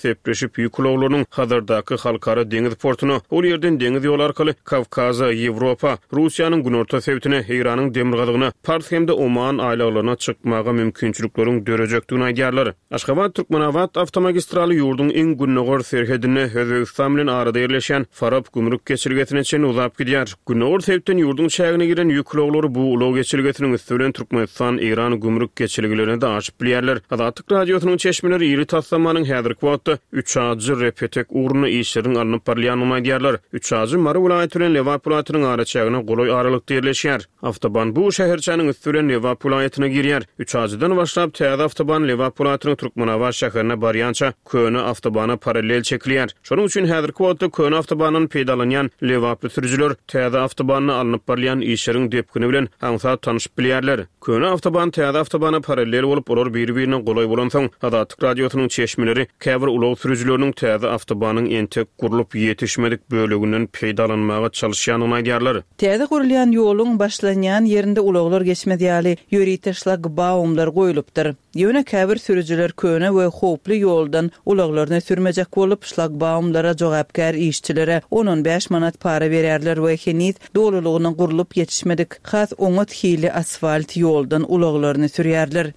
Sepleşip, ýük ulaglarynyň Hazardaky halkara deňiz portuna, ol ýerden deňiz ýoly arkaly Kawkaza, Ýewropa, Russiýanyň günorta sebitine, Eýranyň demirgazygyna, Pars hem-de Oman aýlaglaryna çykmaga mümkinçilikleriň dörejekdigini aýdýarlar. Aşgabat-Türkmenabat awtomagistraly ýurduň iň gündogar serhedinde, Özbegistan bilen arada ýerleşýän Farap gümrük geçelgesine çenli uzap gidýär. Gündogar sebitden ýurduň çägine giren ýük ulaglary bu ulag geçelgesiniň üsti bilen Türkmenistan-Eýran gümrük geçelgelerine-de aşyp bilýärler. Azatlyk Radiosynyň çeşmeleri iri taslamanyň häzirki wagtda Üçajy-Repetek ugrunda işleriň alnyp barylýandygyny aýdýarlar. Üçajy Mary welaýaty bilen Lebap welaýatynyň araçägine golaý aralykda ýerleşýär. Awtoban bu şäherçäniň üsti bilen Lebap welaýatyna girýär. Üçajydan başlap, täze awtoban Lebap welaýatynyň Türkmenabat şäherine barýança köne awtobana parallel çekilýär. Şonuň üçin häzirki wagtda köne awtobandan peýdalanýan lebaply sürüjiler täze awtobanda alnyp barylýan işleriň depgini bilen aňsat tanşyp bilýärler. Köne awtoban täze awtobana parallel bolup, olar biri-birine golaý bolansoň, Azatlyk Radiosynyň çeşmeleri käbir ulag sürüjileriniň täze awtobanyň entek gurlup ýetişmedik böleginden peýdalanmaga çalyşýandygyny aýdýarlar. Täze gurulýan ýoluň başlanýan ýerinde ulaglar geçmez ýaly ýörite şlagbaumlar goýlupdyr. Ýöne käbir sürüjiler köne we howply ýoldan ulaglaryny sürmejek bolup, şlagbaumlara jogapkär işçilere on-on bäş manat para berýärler we heniz dolulygyna gurlup ýetişmedik, has oňat hilli asfalt ýoldan ulaglaryny sürýärler.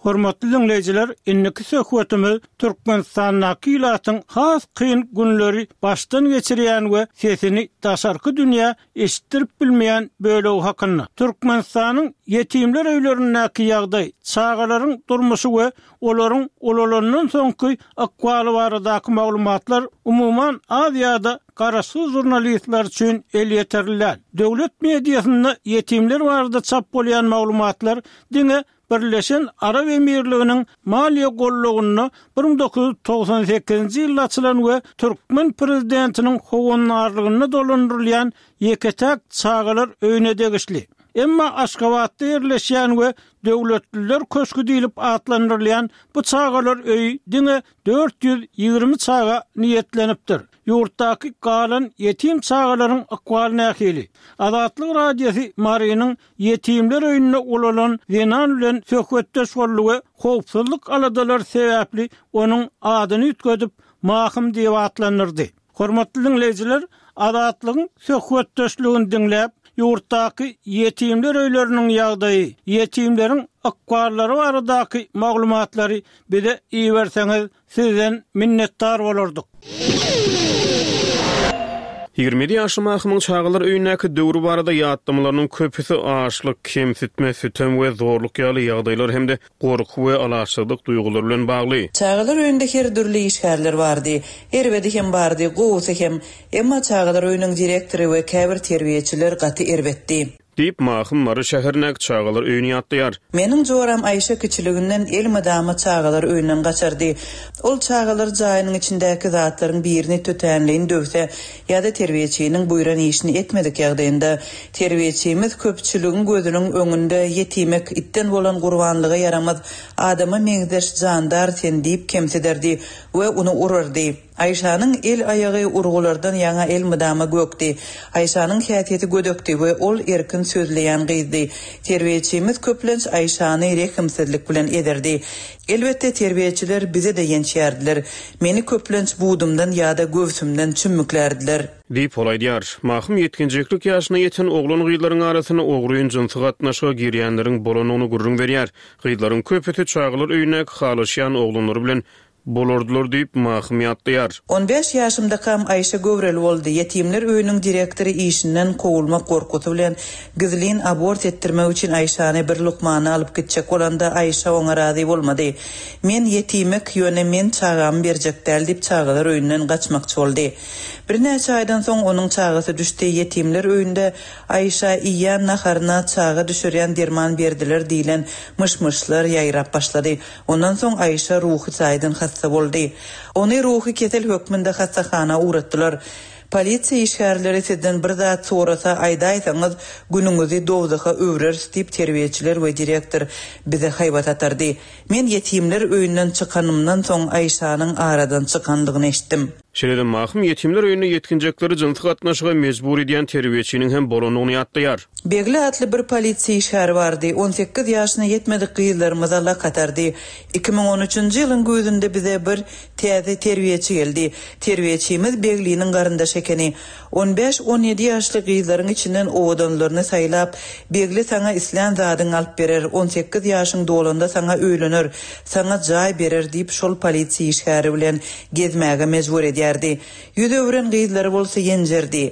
Hormatly diňleýjiler, indiki söhbetimiz Türkmenistandaky ilatyň has kyn günleri başdan geçirýän we sesini daşarky dünýä eşitdirip bilmeýän bölegi hakynda. Türkmenistanyň ýetimler öýlerindäki ýagdaý, çagalaryň durmuşy we olaryň ulalandan soňky ykbaly baradaky maglumatlar umuman az ýa-da garaşsyz žurnalistler üçin elýeterli däl. Döwlet mediasynda ýetimler barada çap bolýan maglumatlar diňe Birleşen Arap Emirliginiň maliýe gollagynda 1998-nji ýylda açylan we türkmen prezidentiniň howandarlygynda dolandyrylýan ýeke-täk çagalar öýüne degişli. Emma Aşgabatda ýerleşýän we Döwletliler köşgi diýlip atlandyrylýan bu çagalar öýi diňe 420 çaga niýetlenipdir. Ýurtdaky galan ýetim çagalaryň ykbaly nähili? Azatlyk Radiosy Marynyň Ýetimler öýünde ulalan zenan bilen söhbetdeş boldy we howpsuzlyk aladalary sebäpli onuň adyny üýtgedip, Mahym diýip atlandyrdy. Hormatly diňleýjiler, Azatlygyň söhbetdeşligini diňläp, ýurtdaky ýetimler öýleriniň ýagdaýy, ýetimleriň ykballary baradaky maglumatlary bize iberseňiz, Sizden minnetdar bolardyk. 27 ýaşly Mahymyň çagalar öýündäki döwri barada ýatlamalarynyň köpüsi açlyk, kemsitme, sütem we zorluk ýaly ýagdaýlar hem-de gorky we alaçsyzlyk duýgulary bilen bagly. Çagalar öýünde her dürli işgärler bardy. Erbedi hem bardy, gowusy hem. Emma çagalar öýüniň direktory we käbir terbiýeçiler gaty erbetdi. Diýip, Mahym Mary şäherindäki çagalar öýüni ýatlaýar. Meniň joram Aýşe kiçiliginden elmydama çagalar öýünden gaçardy. Ol çagalar jaýynyň içindäki zatlaryň birini tötänleýin döwse ýa-da terbiýeçiniň buýran işini etmedik ýagdaýynda, terbiýeçimiz köpçüligiň gözüniň öňünde ýetimek itden bolan gurbanlyga ýaramaz adama meňzeş jandar sen diýip kemsiderdi we ony urardy. Aýşanyň el-aýagy urgulardan ýaňa elmydama gökdi. Aýşanyň häsiýeti gödekdi we ol erkin sözleýän gyzdy. Terbiýeçimiz köplenç Aýşany rehimsizlik bilen ezerdi. Elbetde, terbiýeçiler bizi-de ýençýärdiler. Meni köplenç budumdan ýa-da göwsümden çümmüklärdiler. Diýip, ol aýdýar. Mahym ýetginjeklik ýaşyna ýeten oglan-gyzlaryň arasynda ogryn jynsy gatnaşyga girýänleriň bolandygyny gürrüň berýär. Gyzlaryň köpüsi çagalar öýündäki halaşýan oglanlary bilen Bolardylar diýip, Mahym ýatlaýar. On bäş ýaşymdakam Aýşe göwreli boldy. Ýetimler öýüniň direktory işinden kowulmak gorkusy bilen gizlin abort etdirmek üçin Aýşany bir lukmana alyp gitjek bolanda Aýşe oňa razy bolmady. Men ýetimek, ýöne men çagamy berjek däl diýip çagalar öýünden gaçmakçy boldy. Birnäçe aýdan soň onuň çagasy düşdi. Ýetimler öýünde Aýşa iýýän naharyna çaga düşürýän derman berdiler diýlen myş-myşlar ýaýrap başlady. Ondan soň Aýşa ruhy taýdan hassa boldy. Ony ruhy kesel hökmünde hassahana ugratdylar. Polisiýa işgärleri sizden bir zat sorasa aýdaýsaňyz, günüňizi dowzaha öwreris diýip terbiýeçiler we direktor bize haýbat atardy. Men ýetimler öýünden çykanymdan soň Aýşanyň aradan çykandygyny eşitdim. Şeýle-de Mahym ýetimler öýünde ýetginjekleri jynsy gatnaşyga mejbur edýän terbiýeçiniň hem bolandygyny ýatlaýar. Begli atly bir polisiýa işgäri bardy. On sekiz ýaşyna ýetmedik gyzlarymyza lak atardy. 2013-nji ýylyň güýzünde bize bir täze terbiýeçi geldi. Terbiýeçimiz Begliniň garyndaşy ekeni. On bäş-on ýedi ýaşly gyzlaryň içinden owadanlaryny saýlap, Begli saňa islän zadyňy alyp berer, on sekiz ýaşyň dolanda saňa öýlener, saňa jaý berer diýip şol polisiýa işgäri bilen gezmäge mejbur edýärdi. Ýüz öwren gyzlary bolsa ýenjerdi.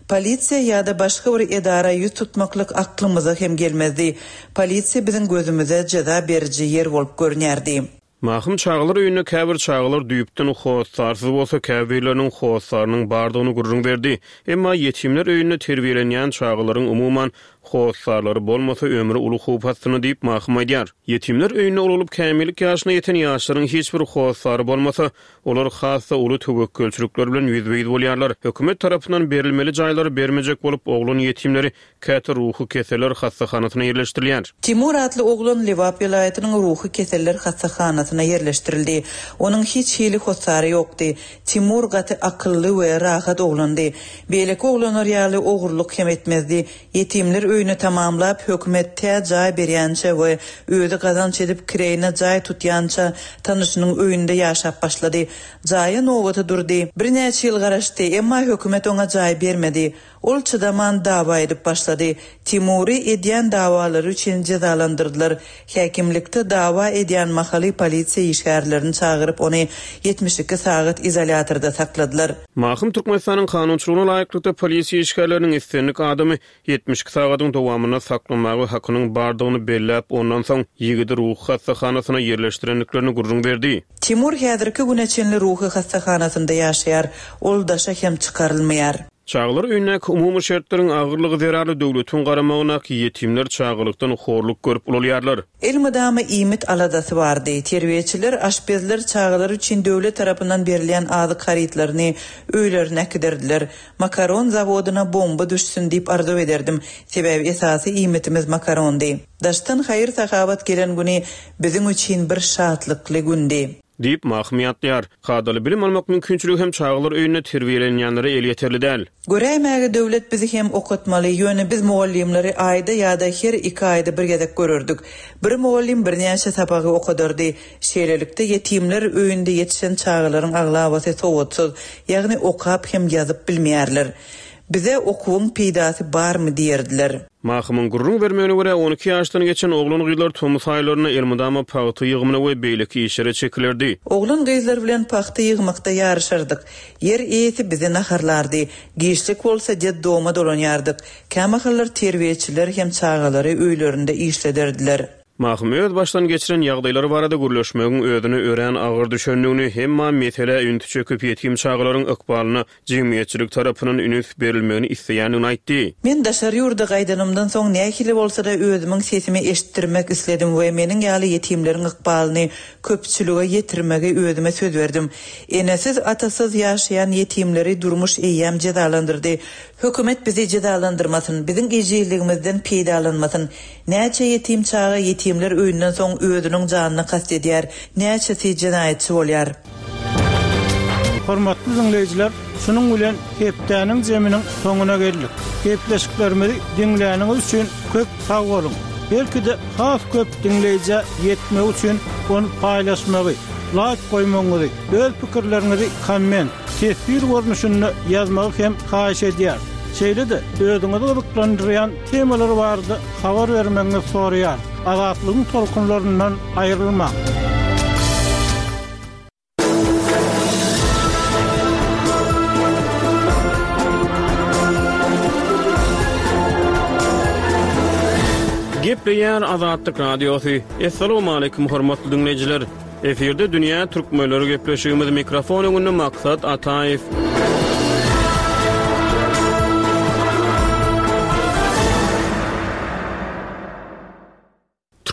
Polisiýa ýa-da başga bir edara ýüz tutmaklyk aklymyza hem gelmezdi. Polisiýa biziň gözümize jeza beriji ýer bolup görünýärdi. Mahym çagalar öýünde käbir çagalar düýpden hossarsyz bolsa, käbirleriniň hossarynyň bardygyny gürrüň berdi. Emma ýetimler öýünde terbiýelenýän çagalaryň umuman hossarlary bolmasa ömri uly howp astynda diýip Mahym aýdýar. Ýetimler öýünde ulalyp kämillik ýaşyna ýeten ýaşlaryň hiç bir hossary bolmasa, olar has-da uly töwekgelçilikler bilen ýüzbe-ýüz bolýarlar. Hökümet tarapyndan berilmeli jaýlary bermejek bolup oglan ýetimleri käte ruhy keseller hassahanasyna ýerleşdirilýär. Timur atly oglan Lebap welaýatynyň ruhy keseller hassahanasyna ýerleşdirildi. Onuň hiç hili hossary ýokdy. Timur gaty akylly we rahat oglandy. Beýleki oglanlar ýaly ogurlyk hem etmezdi. Ýetimler öýüni tamamlap, hökümet tä jaý berýänçä we özi gazanç edip kireýine jaý tutýança tanyşynyň öýünde ýaşap başlady. Jaýa nobata durdy. Birnäçe ýyl garaşdy, emma hökümet oňa jaý bermedi. Ol çydaman dawa edip başlady. Timury edýän dawalary üçin jezalandyrdylar. Häkimlikde dawa edýän mahaly polisiýa işgärlerini çagyryp ony 72 sagat izolýatorda sakladylar. Mahym Türkmenistanyň kanunçylygyna laýyklykda polisiýa işgärleriniň islendik adamy 72 sagadyň dowamynda saklamaga hakynyň bardygyny belläp, ondan soň ýigidi ruhy hassahanasyna ýerleşdirendiklerini gürrüň berdi. Timur häzirki güne çenli ruhy hassahanasynda ýaşaýar. Ol daşa hem çykarylmaýar. Çagalar öýündäki umumy şertleriň agyrlygy zerarly döwletiň garamagyndaky ýetimler çagalykdan horluk görüp ulalýarlar. Elmydama iýmit aladasy bardy. Terbiýeçiler, aşpezler çagalar üçin döwlet tarapyndan berilýän azyk harytlaryny öýlerine äkiderdiler. Makaron zawodyna bomba düşsün diýip arzuw ederdim. Sebäbi esasy iýmitimiz makarondy. Daşdan haýyr-sahawat gelen güni biziň üçin bir şatlykly gündi. Diýip, Mahym ýatlaýar. Kadaly bilim almak mümkinçiligi hem çagalar öýünde terbiýelenýänlere elýeterli däl. Göräýmäge döwlet bizi hem okatmaly, ýöne biz mugallymlary aýda ýa-da her iki aýda bir gezek görerdik. Bir mugallym birnäçe sapagy okadardy. Şeýlelikde, ýetimler öýünde ýetişen çagalaryň aglabasy sowatsyz, ýagny okap hem ýazyp bilmeýärler. Bize okuwyň peýdasy barmy diýerdiler. Mahymyň gürrüň bermegine görä, 12 ýaşdan geçen oglan-gyzlar tomus aýlarynda elmydama pagta ýygymyna we beýleki işlere çekilerdi. Oglan-gyzlar bilen pagta ýygmakda ýaryşardyk. Ýer eýesi bizi naharlardy. Giçlik bolsa detdoma dolanýardyk. Kämahallar terbiýeçiler hem çagalary öýlerinde işlederdiler. Mahym öz başdan geçiren ýagdaýlary barada gürleşmegiň özüne örän agyr düşendigini, emma meselä ünsi çekip ýetim çagalaryň ykbalyna jemgyýetçilik tarapyndan ünüs berilmegini isleýändigini aýtdy. Men daşary ýurda gaýdanymdan soň nähili bolsa-da özümiň sesimi eşitdirmek isledim we meniň ýaly ýetimleriň ykbalyny köpçülige ýetirmegi özüme söz berdim. Enesiz, atasyz ýaşaýan ýetimleri durmuş eýýäm jezalandyrdy. Hökümet bizi jezalandyrmasyn, biziň ejizligimizden peýdalanmasyn. Näçe ýetim çaga ýetimler öýünden soň özüniň janyna kast edýär, näçesi jenaýatçy bolýar. Hormatly diňleýjiler, şunuň bilen hepdäniň jeminiň soňuna geldik. Gepleşiklerimizi diňläniňiz üçin köp sag boluň! Belki-de has köp diňleýjä ýetmegi üçin ony paýlaşmagy, laýk goýmagyňyzy, öz pikirleriňizi komment, teswir görnüşinde ýazmagy hem haýyş edýäris. Şeýle-de özüňizi gyzyklandyrýan temalar barada habar bermegiňizi soraýarys. Azatlygyň tolkunlaryndan aýrylmaň! Gepleýär Azatlyk Radiosy. Assalamualaikum hormatly diňleýjiler. Efirde dünýä türkmenleri gepleşigimiz mikrofon öňünde Maksat Ataýew.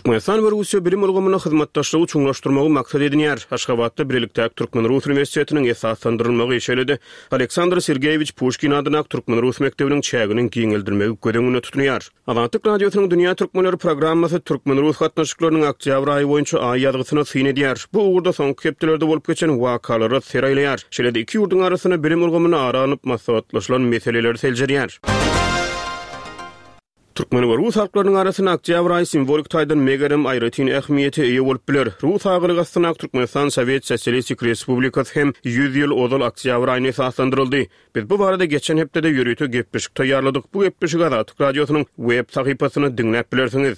Türkmenistan we Russiýa bilim ulgamynda hyzmatdaşlygy çuňlaşdyrmagy maksat edinýär. Aşgabatda bilelikdäki türkmen-rus uniwersitetiniň esaslandyrylmagy, şeýle-de Aleksandr Sergeýewiç Puşkin adyndaky türkmen-rus mekdebiniň çäginiň giňeldilmegi göz öňünde tutulýar. Azatlyk Radiosynyň Dünýä türkmenleri programmasy türkmen-rus gatnaşyklarynyň oktýabr aýy boýunça aý ýazgysyna syn edýär. Bu ugurda soňky hepdelerde bolup geçen wakalara ser aýlaýar. Şeýle-de iki ýurduň arasynda bilim ulgamynda ara alnyp maslahatlaşylan meseleleri seljerýär. Türkmen we rus halklarynyň arasynda oktýabr aýy simwolik taýdan megerem aýratyn ähmiýete eýe bolup biler. Rus agalygy astyndaky Türkmenistan Sowet Sosialistik Respublikasy hem 100 ýyl ozal oktýabr aýynda esaslandyryldy. Biz bu barada geçen hepdede ýörite gepleşik taýýarladyk. Bu gepleşigi Azatlyk Radiosynyň web sahypasynda diňläp bilersiňiz.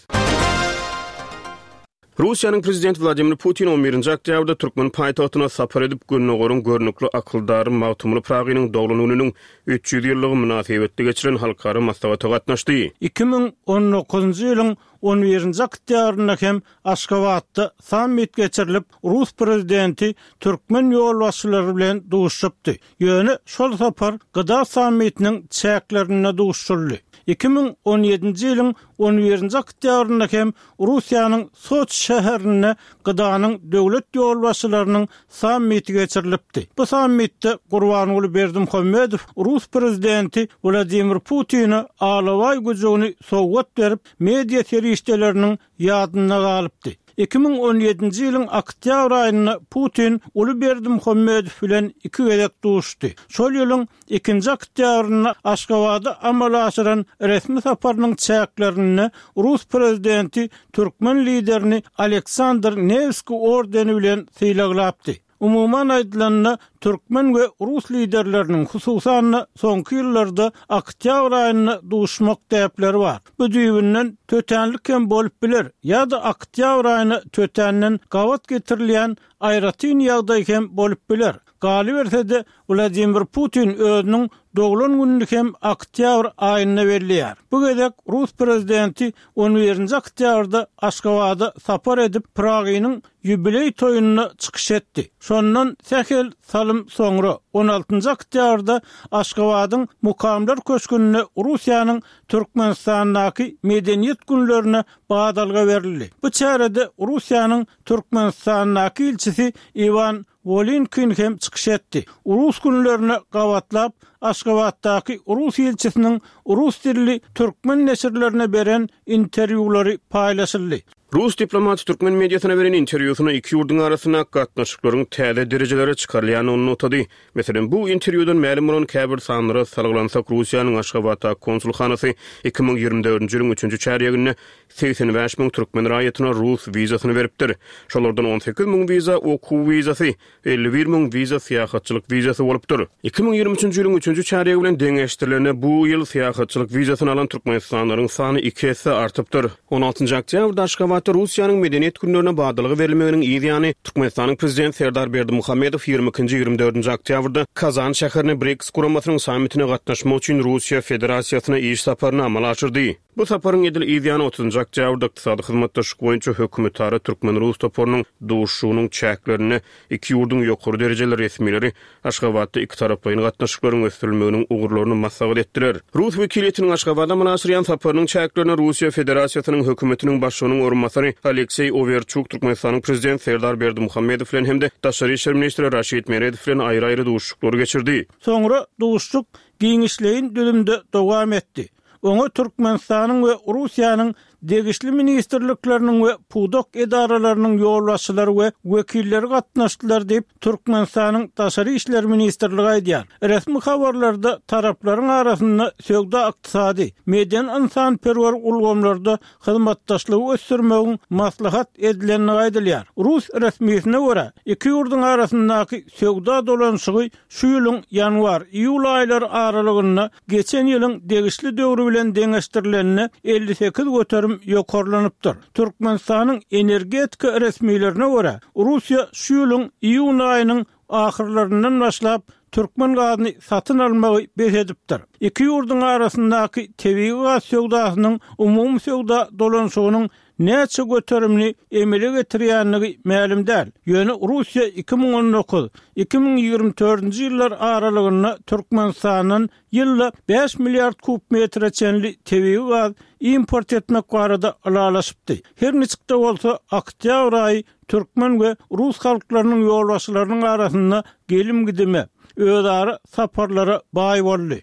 Russiýanyň Prezidenti Wladimir Putin on birinji oktýabrda türkmen paýtagtyna sapar edip, Gündogaryň görnükli akyldary Magtymguly Pyragynyň doglan gününiň 300 ýyllygy mynasybetli geçirilen halkara maslahata gatnaşdy. 2019-njy ýylyň on birinji oktýabrynda hem Aşgabatda sammit geçirilip, rus prezidenti türkmen ýolbaşçylary bilen duşuşypdy. Ýöne şol sapar GDA sammitiniň çäklerinde duşuşyldy. 2017-nji ýylyň on birinji oktýabrynda hem Russiýanyň Soçi şäherinde GDA-nyň döwlet ýolbaşçylarynyň sammiti geçirilipdi. Bu sammitde Gurbanguly Berdimuhamedow rus prezidenti Wladimir Putine alabaý güjügini sowgat berip, media serişdeleriniň ýadynda galypdy. 2017-nji ýylyň oktýabr aýynda Putin uly Berdimuhamedow bilen iki gezek duşdy. Şol ýylyň ikinji oktýabrynda Aşgabada amala aşyran resmi saparynyň çäklerinde rus prezidenti türkmen liderini Aleksandr Newskiý ordeni bilen sylaglapdy. Umuman aýdylanda, türkmen we rus liderleriniň, hususan-da, soňky ýyllarda oktýabr aýynda duşmak däpleri bar. Bu düýbünden tötänlik hem bolup biler ýa-da oktýabr aýyna tötänden gabat getirilýän aýratyn ýagdaý hem bolup biler. Galyberse-de, Wladimir Putin özüniň doglan gününi hem oktýabr aýynda belleýär. Bu gezek rus prezidenti on birinji oktýabrda Aşgabada sapar edip, Pyragynyň ýubileý toýunda çykyş etdi. Şondan sähel salym soňra, on altynjy oktýabrda Aşgabadyň Mukamlar köşgünde Russiýanyň Türkmenistandaky Medeniýet günlerine badalga berildi. Bu çärede Russiýanyň Türkmenistandaky ilçisi Iwan Wolynkin hem çykyş etdi. Rus günlerine gabatlap, Aşgabatdaky rus ilçisiniň rus dilli türkmen neşirlerine beren interwýulary paýlaşyldy. Rus diplomaty türkmen mediasyna beren interwýusynda iki ýurduň arasyndaky gatnaşyklaryň täze derejelere çykarylýandygyny nygtady. Meselem, bu interwýudan mälim bolan käbir sanlara salgylansak, Russiýanyň Aşgabatdaky konsulhanasy 2024-nji ýylyň üçünji çärýeginde 85 müň türkmen raýatyna rus wizasyny beripdir. Şolardan 18 müň wiza okuw wizasy, 51 müň wiza syýahatçylyk wizasy bolupdyr. 2023-nji ýylyň üçünji çärýegi bilen deňeşdirilende, bu ýyl syýahatçylyk wizasyny alan türkmenistanlylaryň sany iki esse artypdyr. On altynjy oktýabrda Aşgabatda Russiýanyň Medeniýet günlerine badalga berilmeginiň yz ýany, Türkmenistanyň Prezidenti Serdar Berdimuhamedow ýigrimi ikinji, ýigrimi dördünji oktýabrda Kazan şäherine BRIKS guramasynyň sammitine gatnaşmak üçin Russiýa Federasiýasyna iş saparyny amala aşyrdy. Bu saparyň edil yz ýany otuzynjy oktýabrda Ykdysady hyzmatdaşlyk boýunça hökümetara türkmen-rus toparynyň duşuşygynyň çäklerinde iki ýurduň ýokary derejeli resmileri Aşgabatda ikitaraplaýyn gatnaşyklaryň ösdürilmeginiň ugurlaryny maslahat etdiler. Rus wekiliýetiniň Aşgabada amala aşyrýan saparynyň çäklerinde Russiýa Federasiýasynyň Hökümetiniň Başlygynyň orunbasary Alekseý Owerçuk Türkmenistanyň Prezidenti Serdar Berdimuhamedow bilen hem-de daşary işler ministri Raşid Meredow bilen aýry-aýry duşuşyklary geçirdi. Soňra duşuşyk giňişleýin düzümde dowam etdi. Oňa Türkmenistanyň we Russiýanyň degişli ministrlikleriniň we pudak edaralarynyň ýolbaşçylary we wekilleri gatnaşdylar diýip, Türkmenistanyň Daşary işler ministrligi aýdýar. Resmi habarlarda taraplaryň arasynda söwda-ykdysady, medeni-ynsanperwer ulgamlarda hyzmatdaşlygy ösdürmegiň maslahat edilendigi aýdylýar. Rus resmisine görä, iki ýurduň arasyndaky söwda dolanyşygy şu ýylyň ýanwar-iýul aýlary aralygynda geçen ýylyň degişli döwri bilen deňeşdirilende 58% ýokarlanypdyr. Türkmenistanyň energetika resmilerine görä, Russiýa şu ýylyň iýun aýynyň ahyrlaryndan başlap türkmen gazyny satyn almagy bes edipdir. Iki ýurduň arasyndaky tebigy gaz söwdasynyň umumy söwda dolanyşygynyň. näçe göterimini emele getirýändigi mälim däl. Ýöne Russiýa 2019, 2024-nji ýyllar aralygynda Türkmenistandan ýylda bäş milliard kub metre çenli tebigy gaz import etmek barada ylalaşypdy. Her niçik-de bolsa, oktýabr aýy türkmen we rus halklarynyň ýolbaşçylarynyň arasynda gelim-gidime, özara saparlara baý boldy.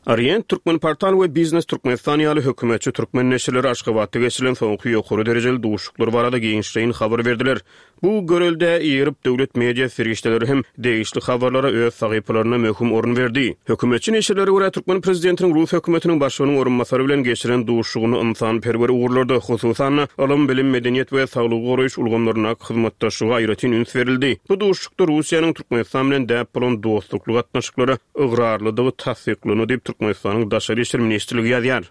Orient, Türkmenportal we Biznes Türkmenistan ýaly hökümetçi türkmen neşirleri Aşgabatda geçirilen soňky ýokary derejeli duşuşyklar barada giňişleýin habar berdiler. Bu göreldä eýerip, döwlet media serişdeleri hem degişli habarlara öz sahypalarynda möhüm orun berdi. Hökümetçi neşirlere görä, türkmen prezidentiniň rus hökümetiniň başlygynyň orunbasary bilen geçiren duşuşygynda ynsanperwer ugurlarda, hususan-da, ylym, bilim, medeniýet we saglygy goraýyş ulgamlaryndaky hyzmatdaşlyga aýratyn üns berildi. Bu duşuşykda Russiýanyň Türkmenistan bilen däp bolan dostlukly gatnaşyklara ygrarlydygy tassyklandy diýip, Türkmenistanyň Daşary işler ministrligi ýazýar.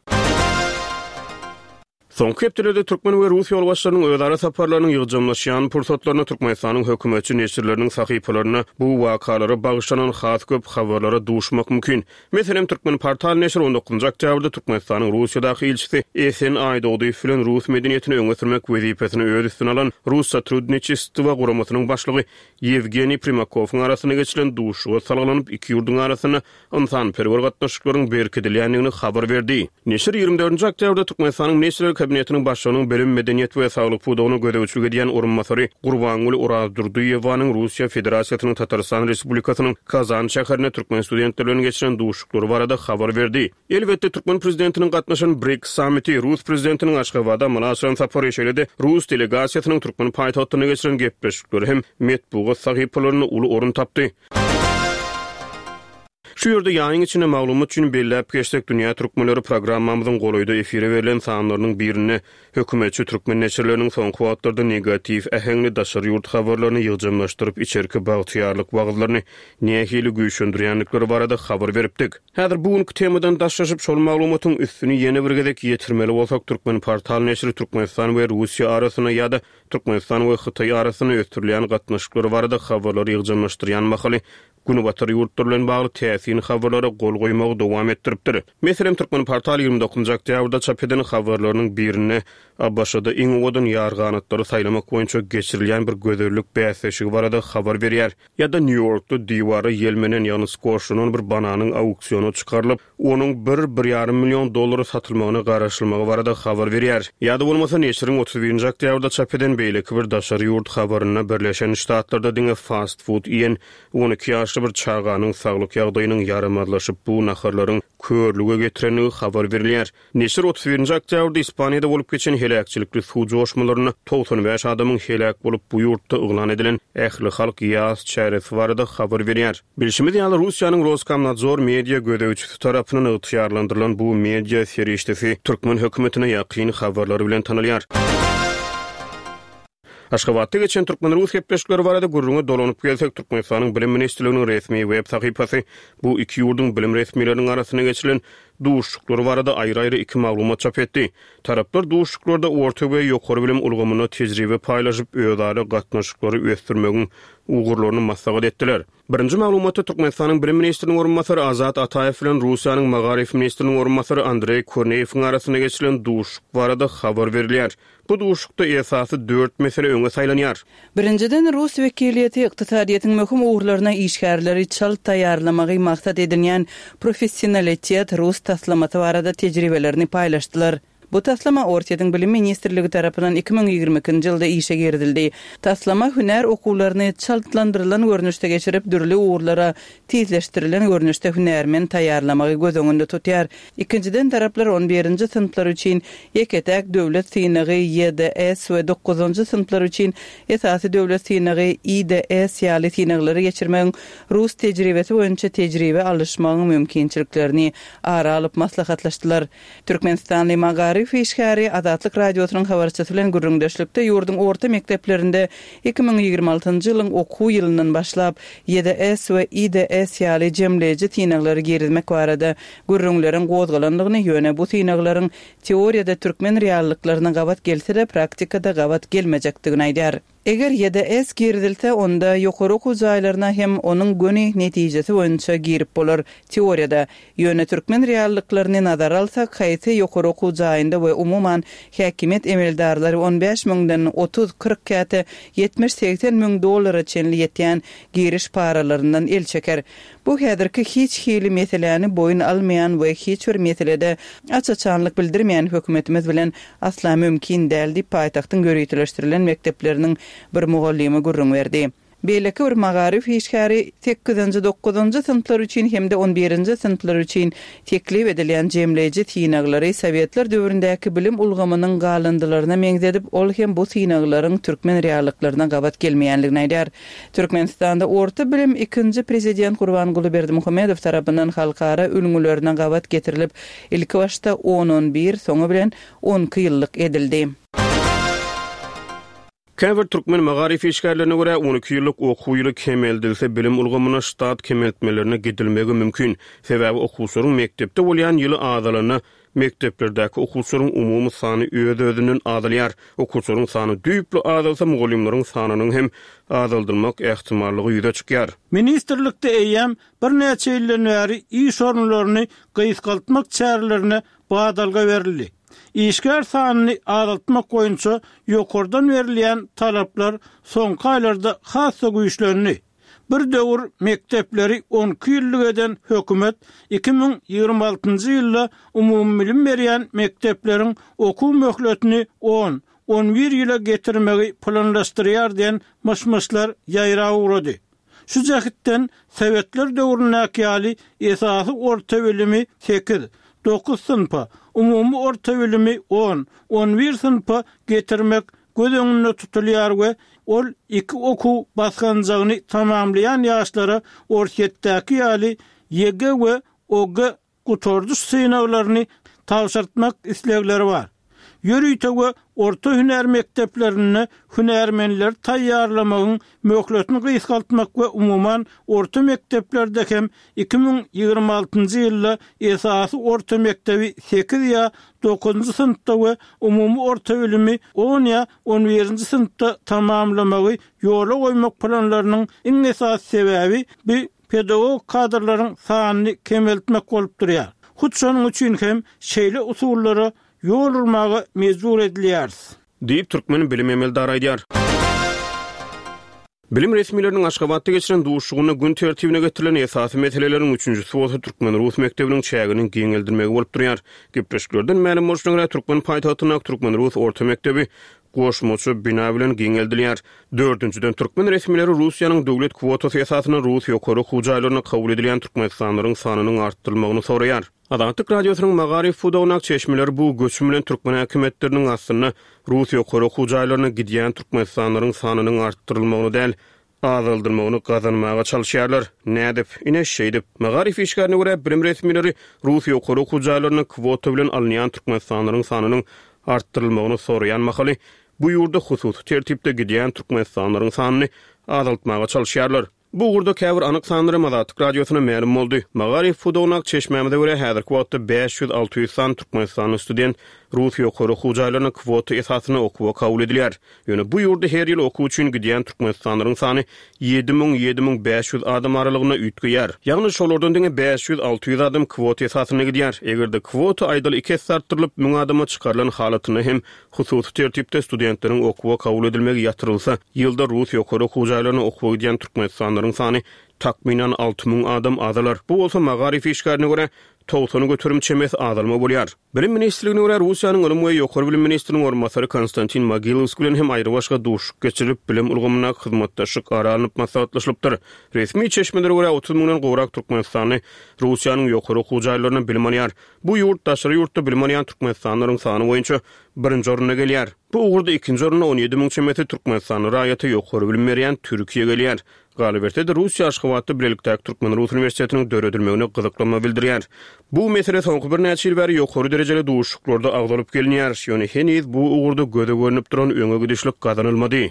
Soňky hepdelerde türkmen we rus ýolbaşçylarynyň özara saparlarynyň ýygjamlaşýan pursatlarynda Türkmenistanyň hökümetçi neşirleriniň sahypalarynda bu wakalara bagyşlanan has köp habarlara duşmak mümkin. Meselem, Türkmenportal neşiri on dokuzynjy oktýabrda Türkmenistanyň Russiýadaky ilçisi Esen Aýdogdyýew bilen rus medeniýetini öňe sürmek wezipesini öz üstüne alan Russotrudniçestwo guramasynyň başlygy Ýewgeniý Primakowyň arasynda geçirilen duşuşyga salgylanyp, iki ýurduň arasynda ynsanperwer gatnaşyklaryň berkidilýändigini habar berdi. Neşir 24-nji oktýabrda Türkmenistanyň Ministrler Kabinetiniň Başlygynyň bilim, medeniýet we saglyk pudagyna gözegçilik edýän orunbasary Gurbangül Orazdurdyýewanyň Russiýa Federasiýasynyň Tatarystan Respublikasynyň Kazan şäherinde türkmen studentleri bilen geçiren duşuşyklary barada habar berdi. Elbetde, türkmen prezidentiniň gatnaşan BRIKS sammiti, rus prezidentiniň Aşgabada amala aşyran sapary, şeýle-de rus delegasiýasynyň türkmen paýtagtynda geçiren gepleşikleri hem metbugat sahypalarynda uly orun tapdy. Şu ýerde ýaýyň içinde maglumat üçin belläp geçsek, Dünýä Türkmenleri programmamyzyň golaýda efire berlen sanlarynyň birinde hökümetçi türkmen neşirleriniň soňky wagtlarda negatiw äheňli daşary ýurt habarlaryny ýygjamlaşdyryp içerki bagtyýarlyk wagyzlaryny nähili güýçlendirýändikleri barada habar beripdik. Häzir bu günki temadan daşlaşyp, şol maglumatyň üstüni ýene bir gezek ýetirmeli bolsak, Türkmenportal neşiri Türkmenistan we Russiýa arasynda ýa-da Türkmenistan we Hytaý arasynda ösdürilýän gatnaşyklar barada habarlary ýygjamlaşdyrýan mahaly Günbatar ýurtlary bilen bagly täsin habarlara gol goýmagy dowam etdiripdir. Meselem, Türkmenportal 29-njy oktýabrda çap eden habarlarynyň birinde ABŞ-da iň owadan ýarganatlary saýlamak boýunça geçirilýän bir gözellik bäsleşigi barada habar berýär. Ýa-da Nýu-Ýorkda diwara ýelmenen, ýagny skoşlanan bir bananyň auksiona çykarylyp, onuň bir, bir ýarym million dollara satylmagyna garaşylmagy barada habar berýär. Ýa-da bolmasa, neşiriň 31-nji oktýabrda çap eden beýleki bir daşary ýurt habarynda Birleşen Ştatlarda diňe fast-fud iýen 12 ýaşly bir çaganyň saglyk ýagdaýynyň ýaramazlaşyp, bu naharlaryň körlüge getirendigi habar berilýär. Neşir 31-nji oktýabrda Ispaniýada bolup geçen heläkçilikli suw joşmalarynda 95 adamyň heläk bolup, bu ýurtda yglan edilen ählihalk ýas çäresi barada habar berýär. Bilşimiz ýaly, Russiýanyň Roskomnadzor media gözegçisi tarapyndan ygtyýarlandyrylan bu media serişdesi türkmen hökümetine ýakyn habarlary bilen tanalýar. Aşgabatda geçen türkmen-rus gepleşikleri barada gürrüňe dolanyp gelsek, Türkmenistanyň Bilim ministrliginiň resmi web sahypasy bu iki ýurduň bilim resmileriniň arasynda geçirilen duşuşyklar barada aýry-aýry iki maglumat çap etdi. Taraplar duşuşyklarda orta we ýokary bilim ulgamynda tejribe paýlaşyp, özara gatnaşyklary ösdürmegiň ugurlaryny maslahat etdiler. Birinji maglumatda Türkmenistanyň bilim ministriniň orunbasary Azat Ataýew bilen Russiýanyň magaryf ministriniň orunbasary Andreý Korneýewiň arasynda geçirilen duşuşyk barada habar berilýär. Bu duşuşykda esasy dört mesele öňe saýlanýar. Birinjiden, rus wekiliýeti ykdysadyýetiň möhüm ugurlaryna işgärleri çalt taýýarlamagy maksat edinýän Professionalitet rus taslamasy barada tejribelerini paýlaşdylar. Bu taslama Orsýetiň Bilim ministrligi tarapyndan 2022-nji ýylda işe girizildi. Taslama hünär okuwlaryny çaltlandyrylan görnüşde geçirip, dürli ugurlara tizleşdirilen görnüşde hünärmen taýýarlamagy göz öňünde tutýar. Ikinjiden, taraplar on birinji synplar üçin ýeke-täk döwlet synagy, YDS, we dokuzynjy synplar üçin esasy döwlet synagy, IDS, ýaly synaglary geçirmegiň rus tejribesi boýunça tejribe alyşmagyň mümkinçiliklerini ara alyp maslahatlaşdylar. Türkmenistanly magaryf işgäri Azatlyk Radiosynyň habarçysy bilen gürrüňdeşlikde ýurduň orta mekdeplerinde 2026-njy ýylyň okuw ýylyndan başlap YDS we IDS ýaly jemleýji synaglary girizmek barada gürrüňleriň gozgalandygyny, ýöne bu synaglaryň teoriýada türkmen reallyklaryna gabat gelse-de, praktikada gabat gelmejekdigini aýdýar. Eger YDS girizilse, onda ýokary okuw jaýlaryna hem onuň göni netijesi boýunça girip bolar, teoriýada. Ýöne türkmen reallyklaryny nazara alsak, haýsy ýokary okuw jaýynda we umuman, häkimiýet emeldarlary on bäş müňden 30, 40 käte 70, 80 müň dollara çenli ýetýän giriş paralaryndan el çeker? Bu häzirki hiç hili meseläni boýun almaýan we hiç bir meselede aç-açanlyk bildirmeýän hökümetimiz bilen asla mümkin däl diýip, paýtagtyň ýöriteleşdirilen mekdepleriniň bir mugallymy gürrüň berdi. Beýleki bir magaryf işgäri sekizinji, dokuzynjy synplar üçin hem-de on birinji synplar üçin teklip edilýän jemleýji synaglary sowetler döwründäki bilim ulgamynyň galyndylaryna meňzedip, ol hem bu synaglaryň türkmen reallyklaryna gabat gelmeýänligini aýdýar. Türkmenistanda orta bilim ikinji prezident Gurbanguly Berdimuhamedow tarapyndan halkara ülňülerine gabat getirilip, ilkibaşda on-on bir, soňy bilen on iki ýyllyk edildi. Käbir türkmen magaryf işgärlerine görä, on iki ýyllyk okuw ýyly kemeldilse, bilim ulgamynda ştat kemeltmelerine gidilmegi mümkin. Sebäbi okuwçylaryň mekdepde bolýan ýyly azalanda, Mekdeplerdäki okuwçylaryň umumy sany öz-özünden azalýar. Okuwçylaryň sany düýpli azalsa, mugallymlaryň sanynyň hem azaldylmak ähtimallygy ýüze çykýar. Ministrlikde eýýäm birnäçe ýyldan bäri iş orunlaryny gysgaltmak çärelerine badalga berildi. Işgär sanyny azaltmak boýunça ýokardan berilýän talaplar soňky aýlarda has-da güýçlendi. Bir döwür mekdepleri on iki ýyllyk eden hökümet 2026-njy ýylda umumybilim berýän mekdepleriň okuw möhletini on, on bir ýyla getirmegi planlaşdyrýar diýen myş-myşlar ýaýrap ugrady. Şu jähtden sowetler döwründäki ýaly esasy orta bilimi sekiz, dokuz synpa, umumy orta bilimi on, on bir synpa getirmek göz öňünde tutulýar we ol iki okuw basganjagyny tamamlaýan ýaşlara Orsýetdäki ýaly YG we OG gutardyş synaglaryny tabşyrtmak islegleri bar. Ýörite we orta hünär mekdeplerinde hünärmenleri taýýarlamagyň möhletini gysgaltmak we umuman orta mekdeplerde hem 2026-njy ýylda esasy orta mekdebi sekiz ýa dokuzynjy synpda we umumy orta bilimi on ýa on birinji synpda tamamlamagy ýola goýmak planlarynyň iň esasy sebäbi bu pedagogik kadrlaryň sanyny kemeltmek bolup durýar. Hut şonuň üçin hem şeýle usullara ýol urmaga mejbur edilýäris. Diýip, türkmen bilim emeldary aýdýar. Bilim resmileriniň Aşgabatda geçiren duşuşygynda gün tertibine getirilen esasy meseleleriň üçünjisi bolsa türkmen-rus mekdebiniň çäginiň giňeldilmegi bolup durýar. Gepleşiklerden mälim bolşuna görä, türkmen paýtagtyndaky türkmen-rus orta mekdebi goşmaça bina bilen giňeldilýär. Dördünjiden, türkmen resmileri Russiýanyň döwlet kwotasy esasynda rus ýokary okuw jaýlaryna kabul edilýän türkmenistanlylaryň sanynyň artdyrylmagyny soraýar. Azatlyk Radiosynyň magaryf pudagyndaky çeşmeleri bu göçüm bilen türkmen häkimiýetleriniň aslynda rus ýokary okuw jaýlaryna gidýän türkmenistanlylaryň sanynyň artdyrylmagyny däl, azaldylmagyny gazanmaga çalyşýarlar. Nädip? Ine, şeýdip. Magaryf işgärine görä, bilim resmileri rus ýokary okuw jaýlaryna kwota bilen alynýan türkmenistanlylaryň sanynyň artdyrylmagyny soraýan mahaly, bu ýurda hususy tertipde gidýän türkmenistanlylaryň sanyny azaltmaga çalyşýarlar. Bu ugurda käbir anyk sanlar hem Azatlyk Radiosyna mälim boldy. Magaryf pudagyndaky çeşmämize görä, häzirki wagtda 500-600 sany türkmenistanly student rus ýokary okuw jaýlaryna kwota esasynda okuwa kabul edilýär. Ýöne bu ýurda her ýyl okuw üçin gidýän türkmenistanlylaryň sany 7000, 7500 adam aralygynda üýtgeýär. Ýagny şolardan diňe 500-600 adam kwota esasynda gidýär. Eger-de kwota aýdaly iki esse artdyrylyp, müň adama çykarylan halatynda hem Hususy tertipde studentleriň okuwa kabul edilmegi ýatyrylsa, ýylda rus ýokary okuw jaýlaryna okuwa gidýän türkmenistanlylaryň sany takmynan 6000 adam azalar. Bu bolsa magaryf işgärine görä, 90% çemesi azalma bolýar. Bilim ministrligine görä, Russiýanyň ylym we ýokary bilim ministriniň orunbasary Konstantin Mogilowskiý bilen hem aýrybaşga duşuşyk geçirilip, bilim ulgamyndaky hyzmatdaşlyk ara alnyp maslahatlaşylypdyr. Resmi çeşmelere görä, 30 müňden gowrak türkmenistanly Russiýanyň ýokary okuw jaýlarynda bilim alýar. Bu ýurt daşary ýurtda bilim alýan türkmenistanlylaryň sany boýunça birinji orunda gelýär. Bu ugurda ikinji orunda 17 müň çemesi türkmenistanly raýata ýokary bilim berýän Türkiýe gelýär. Galyberse-de, Russiýa Aşgabatda bilelikdäki türkmen-rus uniwersitetiniň döredilmegine gyzyklanma bildirýär. Bu mesele soňky birnäçe ýyl bäri ýokary derejeli duşuşyklarda agzalyp gelinýär. Ýöne heniz bu ugurda göze görnüp duran öňe gidişlik gazanylmady.